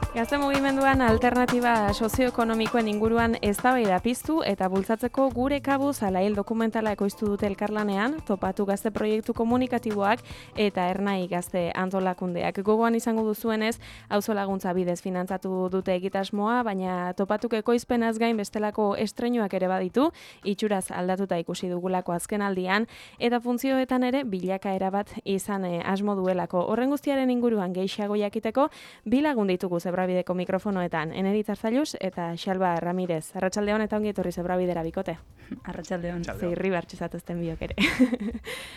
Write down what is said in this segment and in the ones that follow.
Gazte mugimenduan alternatiba sozioekonomikoen inguruan eztabaida piztu eta bultzatzeko gure kabuz alail dokumentala ekoiztu dute elkarlanean, Topatu Gazte proiektu komunikatiboak eta Ernai Gazte antolakundeak. Gogoan izango duzuenez, auzo laguntza bidez finantzatu dute egitasmoa, baina Topatuk ekoizpenaz gain bestelako estreinuak ere baditu, itxuraz aldatuta ikusi dugulako azkenaldian, eta funtzioetan ere bilakaera bat izan asmo duelako. Horren guztiaren inguruan gehiago jakiteko, bi lagun ditugu Zebrabideko mikrofonoetan, Eneritz Arzalluz eta Xalba Ramirez. Arratsaldeon eta ongi etorri Zebrabidera bikote. Arratsaldeon. Zeirri bartxizatuzten biok ere.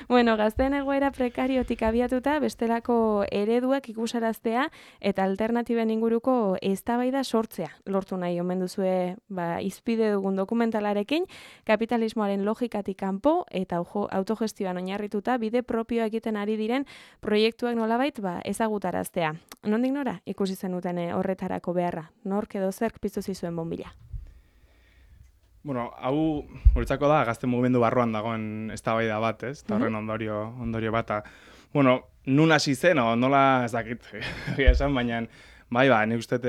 Bueno, gazteen egoera prekariotik abiatuta, bestelako ereduak ikusaraztea eta alternatiben inguruko eztabaida sortzea. Lortu nahi omen duzue izpide dugun dokumentalarekin, kapitalismoaren logikatik kanpo eta autogestioan oinarrituta bide propioa egiten ari diren proiektuak nolabait ezagutaraztea. Nondik nora ikusi zenuten horretarako beharra? Nork edo zerk piztu zizuen bonbila? Bueno, hau guretzako da gazte mugimendu barruan dagoen eztabaida bat, ez? Eta horren ondorio bata. Bueno, nun hasi zen, nola ez dakit, esan, baina bai, nik uste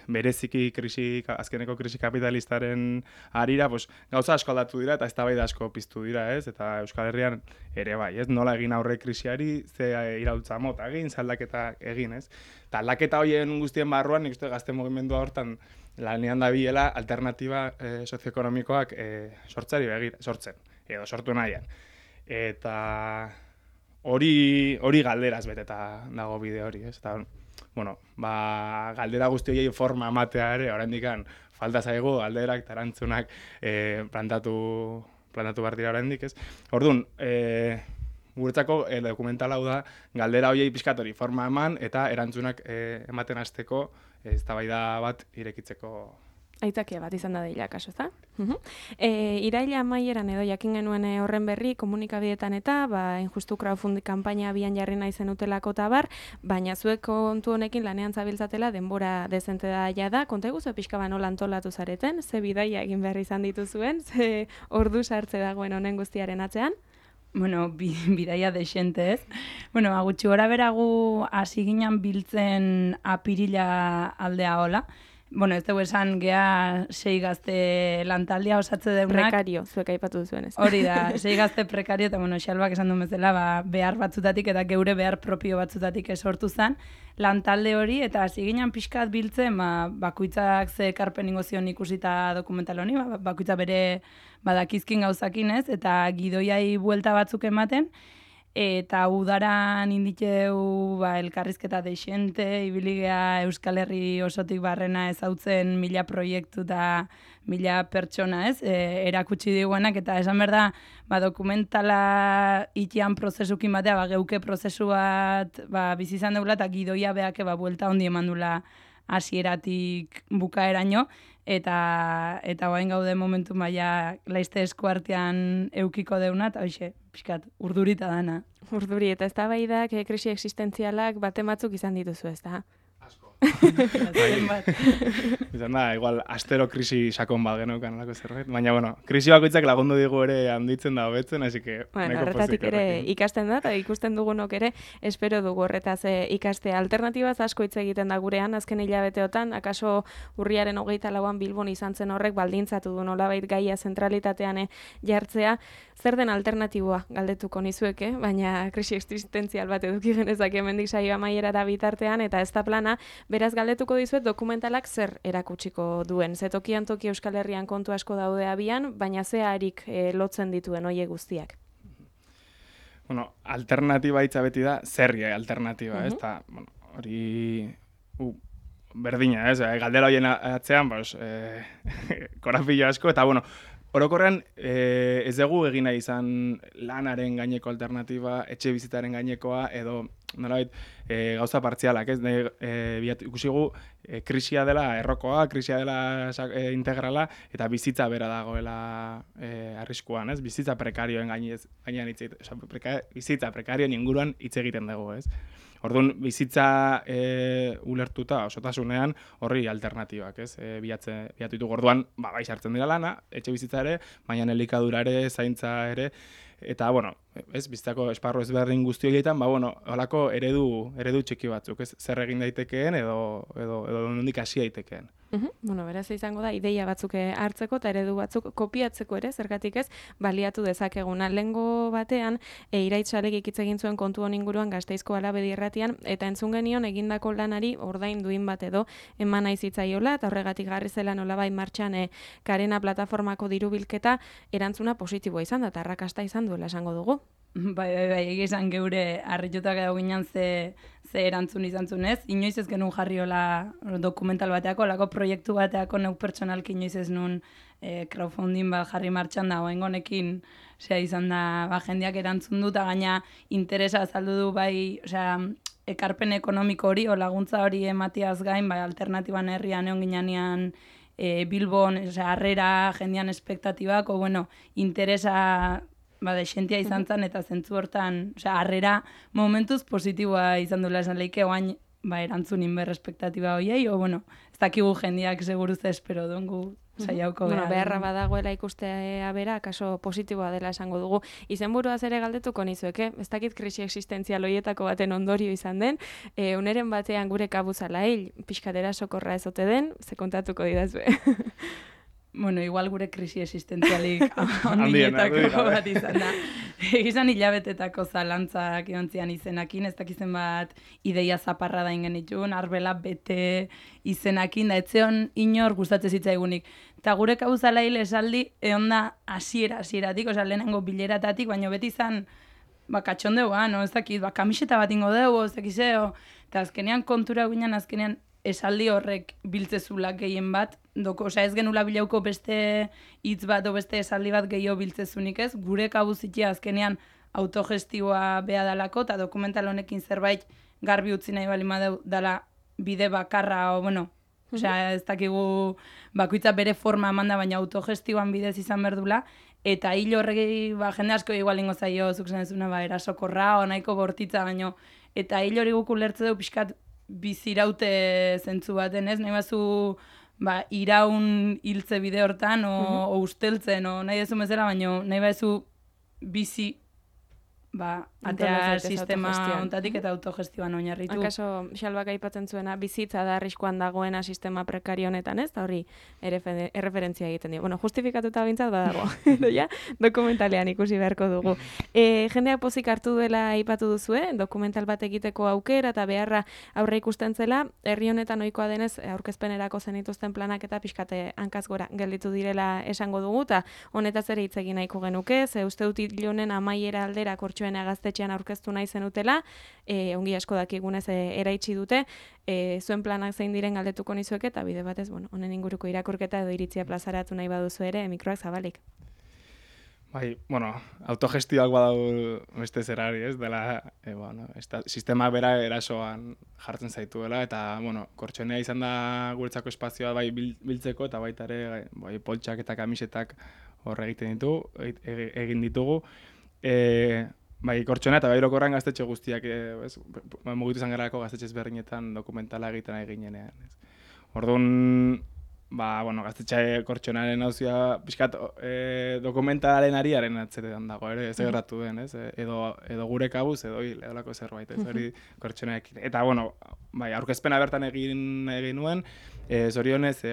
bereziki azkeneko krisi kapitalistaren harira, gauza asko aldatu dira eta eztabaida asko piztu dira, ez? Eta Euskal Herrian ere bai, ez? Nola egin aurre krisiari, ze iraultza mota egin, ze aldaketa egin, ez? Eta aldaketa horien guztien barruan, nik uste gazte mugimendua hortan lanean dabilela alternatiba sozioekonomikoak sortzen, edo sortu nahian. Eta hori galderaz beteta dago bide hori, ez? Eta, bueno, galdera guzti horiei forma ematea ere, oraindikan falta zaigu galderak eta erantzunak plantatu behar dira oraindik, ez? Orduan, guretzako dokumental hau da galdera horiei pixkat hori forma eman eta erantzunak ematen hasteko eztabaida bat irekitzeko. Aitzakia bat izan da deila, kaso, ezta? Iraila amaieran edo jakin genuen horren berri komunikabideetan eta injustu crowdfunding kanpaina abian jarri nahi zenutelako tabar, baina zuek kontu honekin lanean zabiltzatela denbora dezente da jada. Konta eguzu pixka nola antolatu zareten, ze bidaia egin behar izan dituzuen, ze ordu sartze dagoen honen guztiaren atzean? Bueno, bidaia desente, ez? Bueno, gutxi gora beragu hasi ginen biltzen apirila aldea hola. Bueno, ez dugu esan gea 6 gazte lantaldea osatze deunak. Prekario, zuek aipatu duzuenez. Hori da, 6 gazte prekario, eta bueno, Xalbak esan duen bezala, behar batzutatik eta geure behar propio batzutatik esortu zen lantalde hori, eta hasi ginen pixkat biltzen, bakoitzak ze ekarpen ingo zion ikusita dokumental honi, bakoitza bere badakizkin gauzakin ez, eta gidoiai buelta batzuk ematen, eta udaran inditeu elkarrizketa deixente, ibiligea Euskal Herri osotik barrena ezautzen 1000 proiektu eta 1000 pertsona, ez? Erakutsi diguenak, eta esan behar da, dokumentala itian prozesukin batea, geuke prozesu bat bizi izan deula, eta gidoia beake buelta ondi eman dula hasieratik bukaeraino, eta guain gaude momentu maia laizte eskuartean eukiko deuna, eta hoxe, pixkat, urdurita dana. Urduri, eta ez da baidak, krisi existentzialak batematzuk izan dituzu, ez da? Asko. Izan da, igual, astero krisi sakon bat geneukan alako zerbait. Baina, bueno, krisi bakoitzak lagundu digu ere handitzen da hobetzen, así que... Bueno, horretatik ere ikasten da, eta ikusten dugunok ere, espero dugu horretaz ikastea. Alternatibaz asko hitz egiten da gurean, azken hilabeteotan, akaso urriaren 24an Bilbon izan zen horrek baldintzatu du nolabait gaia zentralitatean jartzea. Zer den alternatiboa galdetuko nizueke, baina krisi existentzial bat eduki genezak hemendik saio amaierara bitartean, eta ez da plana, beraz galdetuko dizuet dokumentalak zer erakutsiko duen. Ze tokian toki Euskal Herrian kontu asko daude abian, baina ze harik lotzen dituen hoie guztiak. Bueno, alternatiba hitza beti da, zerri alternatiba, ez? Eta, bueno, hori berdina, ez? Galdera horien atzean, korapilo asko, eta, bueno, orokorrean ez dugu egin nahi izan lanaren gaineko alternatiba, etxe bizitaren gainekoa, edo nolabait gauza partzialak, ez? Ikusigu krisia dela errokoa, krisia dela integrala, eta bizitza bera dagoela arriskuan, ez? Bizitza prekarioen gainean hitz egiten, bizitza prekarioen inguruan hitz egiten dugu, ez? Orduan, bizitza ulertuta osotasunean horri alternatibak, ez? Bilatu ditugu orduan, bai sartzen dira lana, etxe bizitza ere, baina elikadura ere, zaintza ere, eta, bueno, bizitzako esparru ezberdin guzti horietan, holako eredu txiki batzuk, ez? Zer egin daitekeen edo nondik hasi daitekeen. Beraz izango da, ideia batzuk hartzeko eta eredu batzuk kopiatzeko ere, zergatik ez, baliatu dezakeguna. Lehengo batean, Iraitz Salegik hitz egin zuen kontu honen inguruan Gasteizko Alabedi irratian, eta entzun genion egindako lanari ordain duin bat edo eman nahi zitzaiola, eta horregatik jarri zela nolabait martxan Karena plataformako dirubilketa erantzuna positiboa izan da, eta arrakasta izan duela esango dugu. Bai, egizan geure harritutak edo ginen ze erantzun izan zunez. Inoiz ez genuen jarriola dokumental bateako, lako proiektu bateako neuk pertsonalki inoiz ez nun crowdfunding bat jarri martxan da, honekin izan da jendeak erantzun dut, eta gaina interesa azaldu du bai, ekarpen ekonomiko hori, o laguntza hori ematiaz gain, bai alternatiban herrian egon ginean Bilbon, harrera, jendean espektatibak, interesa desentia izan zen, eta zentzu hortan, harrera momentuz positiboa izan duela esan lehike, oain erantzun inber espektatiba hoiei, ez dakigu jendeak seguruz espero dongu saiauko gara. Beharra badagoela ikustea bera, kaso positiboa dela esango dugu. Izenburuaz ere galdetuko nizueke, ez dakit krisi existentzial hoietako baten ondorio izan den, uneren batean gure kabuzala hil, pixkatera sokorra ezote den, ze kontatuko didazue. Igual gure krisi existentzialik handietako bat izan da. Egizan hilabetetako zalantzak iontzian izenakin, ez dakizen bat ideia zaparra da ingen itxun, arbela bete izenakin, da etzeon inor gustatzen zitzaigunik. Eta gure kauzala hil esaldi, egon da hasieratik, lehenengo bileratatik, baina beti izan, katxondeu, ez dakit, kamiseta bat ingo dugu, ez dakizeo, eta azkenean kontura ginen, azkenean esaldi horrek biltzezula gehien bat, ez genula bilauko beste hitz bat o beste esaldi bat gehiago biltzezunik ez, gure kabuzitia azkenean autogestioa beha dalako, eta dokumental honekin zerbait garbi utzi nahi balima dela bide bakarra, ez dakigu bakoitza bere forma emanda, baina autogestioan bidez izan berdula, eta hil horregi jende asko igual ingo zaio, zuk zen ezuna, erasokorra, nahiko bortitza, baino, eta hil hori guk ulertze du pixkat biziraute zentzu baten, ez? Nahi bazu iraun hiltze bide hortan, o usteltzen, o nahi dezu mezela, baina nahi bazu bizi atea sistema ontatik eta autogestioan oinarritu. Akaso, Xalbak aipatzen zuena, bizitza da arriskuan dagoena sistema prekario honetan, ez? Da hori erreferentzia egiten dio. Justifikatuta bintzat badago. Dokumentalean ikusi beharko dugu. Jendeak pozik hartu duela aipatu duzue, dokumental bat egiteko aukera eta beharra aurre ikusten zela, herri honetan ohikoa denez aurkezpenerako zenituzten planak eta pixkate hankaz gora gelditu direla esango dugu, eta honetaz ere hitz egin nahiko genuke, ze uste dut ilonen amaiera aldera gaztetxean aurkeztu nahi zenutela, ongi asko dakigunez eraitsi dute, zuen planak zein diren galdetuko nizueke, eta bide batez, honen inguruko irakurketa edo iritzia plazaratu nahi baduzu ere, mikroak zabalik. Autogestioak badau beste zerari, ez, dela, sistema bera erasoan jartzen zaituela, eta, kortxonea izan da guretzako espazioa biltzeko, eta baita ere, poltsak eta kamisetak hor egin ditugu, kortxona eta orokorrean gaztetxe guztiak, mugitu izan garako gaztetxe ezberdinetan dokumentala egiten ari ginenean. Orduan, gaztetxe kortxonaren hauzia, pixkat dokumentalaren ariaren atzeretan dago, ez gerratu den, edo gure kabuz, edo lako zerbait, ez hori kortxonaekin. Eta, aurkezpena bertan egin nuen, zorionez,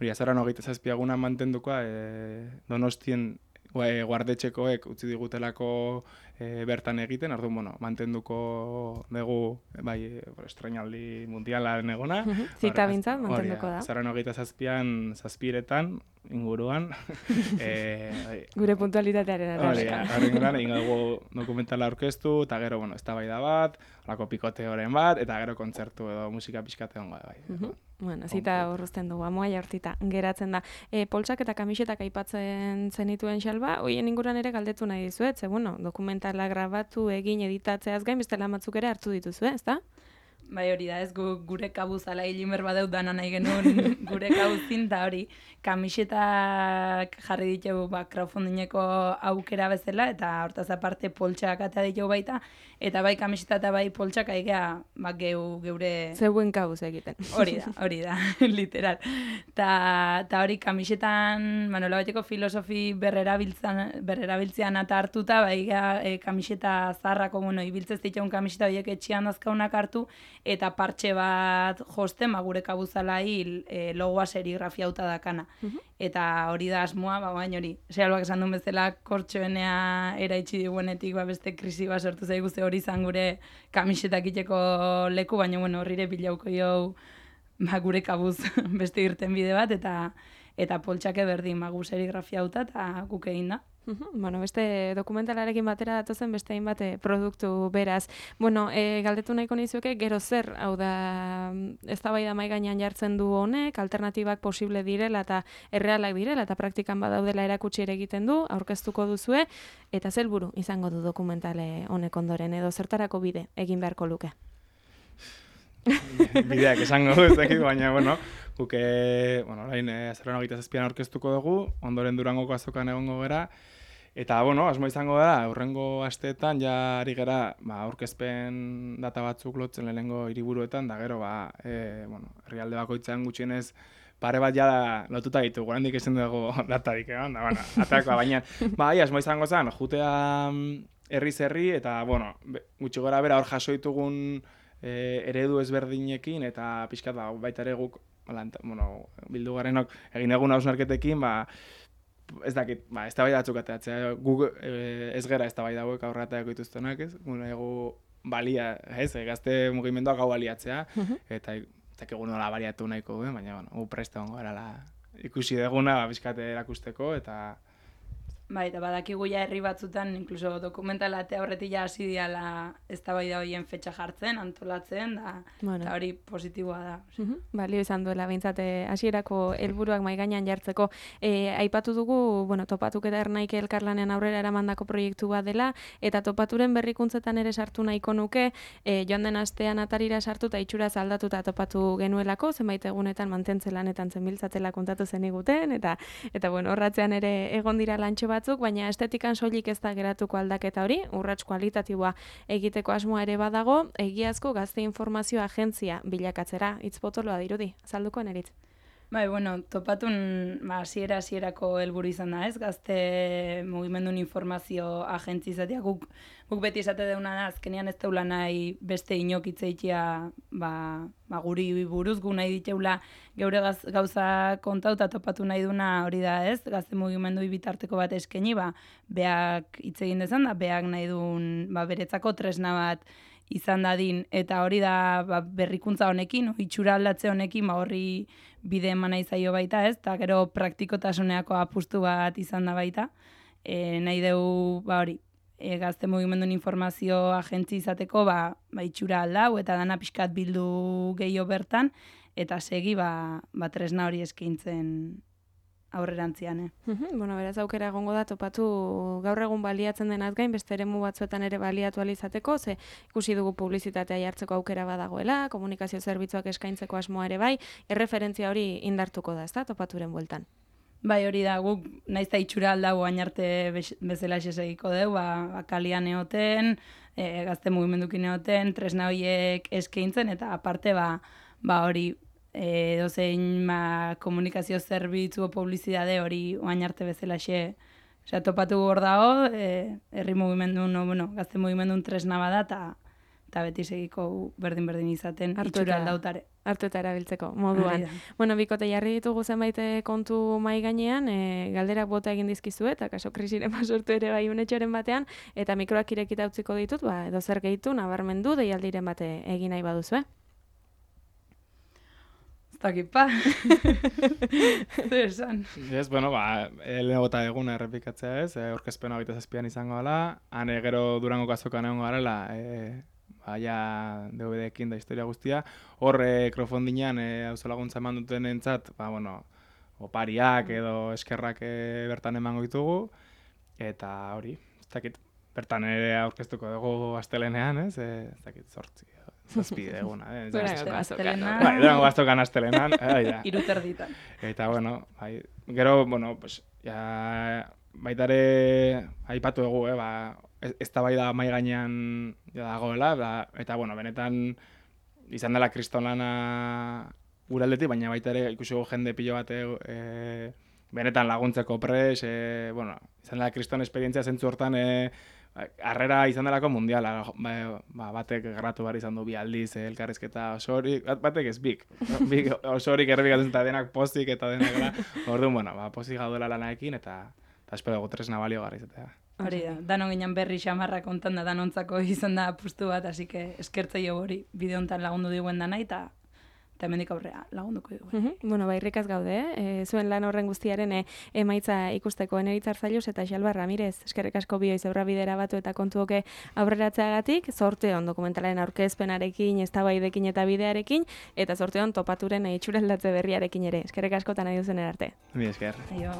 azaroan 27 mantendukoa, Donostien guardetxekoek utzi digutelako bertan egiten, orduan, mantenduko dugu, estrainaldi mundialaren egona. Zita bintzat, mantenduko da. Azaroan 27 zazpiretan, inguruan. Gure puntualitatearen arabera. Horren egin dugu dokumentala aurkeztu, eta gero, eztabaida bat, holako pikoteoren bat, eta gero kontzertu edo musika pixkate hongo da. Zita horrezten dugu, amoa jartita geratzen da. Poltsak eta kamisetak aipatzen zenituen Xalba, hoien inguruan ere galdetu nahi dizuet, ze, dokumentala grabatu, egin, editatzeaz gain, beste lan batzuk ere hartu dituzu, ez da? Bai, hori da, ez gure kabuz ala hilimer badeut dana nahi genuen gure kabuzin, eta hori, kamisetak jarri ditugu crowdfundingeko aukera bezala, eta hortaz aparte poltsak atea ditugu baita, eta bai kamiseta eta bai poltsak aigea geure... Zeuen kabuz egiten. Hori da, literal. Ta hori kamisetan, nola bateko filosofi berrerabiltzean eta hartuta, bai kamiseta zaharrako, ibiltzez ditugun kamiseta horiek etxian dazkaunak hartu, eta partxe bat josten, gure kabuzalai logoa serigrafiauta dakana. Eta hori da asmoa, baina hori, Sealbak esan duen bezala kortxoenea eraitsi diguenetik beste krisi bat sortu zaigu, ze hori izan gure kamisetak iteko leku, baina horrire bilauko jau gure kabuz beste irten bide bat, eta poltsake berdin gu serigrafiauta eta guk egin da. Beste dokumentalarekin batera datozen beste hainbat produktu beraz. Galdetu nahiko nizuke, gero zer, hau da, eztabaida mahai gainean jartzen du honek, alternatibak posible direla eta errealak direla eta praktikan badaudela erakutsi ere egiten du, aurkeztuko duzue, eta zer helburu izango du dokumentale honek ondoren, edo zertarako bide egin beharko luke? Bideak esango ez dakit, baina, guke, orain azaroan 27an aurkeztuko dugu, ondoren Durangoko azokan egongo gera, eta, asmo izango da, hurrengo asteetan, ja ari gera, aurkezpen data batzuk lotzen lehenengo hiriburuetan, da gero, herrialde bakoitzean gutxienez, pare bat jada lotuta ditugu, handik ezin dugu datarik, baina, asmo izango zen, jutea herri, eta, gutxi gora bera hor jaso ditugun eredu ezberdinekin, eta pixkat, baita ere guk, bildu garenok egin egun hausnarketekin, ez dakit, ez da bai datzuk ateatzea, guk ez gera ez da bai dauek aurrataako dituztenak, ez? Egu balia, ez, gazte mugimenduak hau baliatzea, eta egun nola baliatu nahiko, baina, gu preste hongo erala ikusi deguna, bizkate erakusteko, eta... Bai, eta badakigu ja herri batzutan, inkluso dokumentala eta horretik ja hasi diala eztabaida horien fetxa jartzen, antolatzen, eta hori positiboa da. Balio izan duela, behintzat, hasierako helburuak mahai gainean jartzeko. Aipatu dugu, Topatuk eta Ernaike elkarlanean aurrera eramandako proiektu bat dela, eta Topaturen berrikuntzetan ere sartu nahiko nuke, joan den astean atarira sartu eta itxuraz aldatuta topatu genuelako, zenbait egunetan mantentze lanetan zenbiltzatela kontatu zeniguten, eta horratzean ere egon dira lantxo batzuk, baina estetikan soilik ez da geratuko aldaketa hori, urrats kualitatiboa egiteko asmoa ere badago, egiazko gazte informazio agentzia bilakatzera, hitz potoloa dirudi, azalduko eneritz. Bai, Topatun hasierako helburu izan da, ez? Gazte mugimendun informazio agentzi izatea, guk beti esate deuna da, azkenean ez teula nahi beste inok itzeitia guri buruz, gu nahi diteula geure gauza kontauta topatu nahi duna hori da, ez? Gazte mugimendu bitarteko bat eskeni, beak hitz egin dezan da, beak nahi duen beretzako tresna bat izan dadin, eta hori da berrikuntza honekin, itxura aldatze honekin, horri bide eman nahi zaio baita, ez? Eta gero praktikotasuneko apustu bat izan da baita. Nahi dugu, hori, gazte mugimendun informazio agentzi izateko, itxura aldau, eta dana pixkat bildu gehiago bertan, eta segi, tresna hori eskaintzen aurrerantzian. Beraz aukera egongo da Topatu gaur egun baliatzen denaz gain, beste eremu batzuetan ere baliatu alizateko, ze ikusi dugu publizitatea jartzeko aukera badagoela, komunikazio zerbitzuak eskaintzeko asmoa ere bai, erreferentzia hori indartuko da, ezta, Topaturen bueltan. Bai, hori da, guk naiz da itxura aldau hain arte bezala esegiko dugu, kalian egoten, gazte mugimendukin egoten, tresna horiek eskaintzen, eta aparte, hori, dozein komunikazio zerbitzu o publizidade hori oain arte bezala Topatu hor dago, herri mugimendun, gazte mugimendun tresna bada, eta beti segiko berdin izaten itxura aldautare. Hartu eta erabiltzeko moduan. Bikote jarri ditugu zenbait kontu mai gainean, galderak bota egin dizkizu eta kaso krisiren sortu ere bai unetxoren batean, eta mikroak irekita utziko ditut, edo zer gehitu, nabarmendu, deialdiren bate egin nahi baduzu, Zakipa. Zer esan. Ez, lehenengo eta eguna errepikatzea ez, aurkezpena 27an izango gala, han gero Durangoko azokan egongo garela, DVD-ekin da historia guztia, hor crowdfundingean auzolaguntza eman duten entzat, opariak edo eskerrak bertan emango ditugu, eta hori, ez dakit, bertan ere aurkeztuko dugu astelenean, ez dakit, zazpi eguna. Durangoko azokan. Bai, Durango azokan astelenan. Iruterditan. Eta, bueno, bai, gero, bueno, pues, ja, baitare aipatu dugu, ez da bai da mai gainean dagoela, eta, bueno, benetan izan dela kristolana gure aldetik, baina baita ere ikusi jende pilo bat benetan laguntzeko pres, bueno, izan dela kriston esperientzia zentzu hortan, harrera izan delako mundiala, batek gratu behar izan du 2 aldiz, elkarrizketa osorik, batek ez bik osorik errebikatzen eta denak pozik eta denak, orduan, bueno, pozik gaudela lanaekin eta espero dugu tresna balio garri izatea. Hori da, danon ginen berri xamarra kontan da danontzako izan da apustu bat, así que eskertzei hori bideo hontan lagundu diguen dana eta hemendik aurrea lagunduko dugu. Bueno, irrikaz gaude, zuen lan horren guztiaren emaitza ikusteko Eneritz Arzallus eta Xalba Ramirez. Eskerrik asko bioiz aurra bidera batu eta kontuoke aurreratzeagatik, zorteon dokumentalaren aurkezpenarekin, eztabaidekin eta bidearekin, eta zorteon topaturen itxuraldatze berriarekin ere. Eskerrik asko eta nahi duzen erarte. Mi esker. Aio.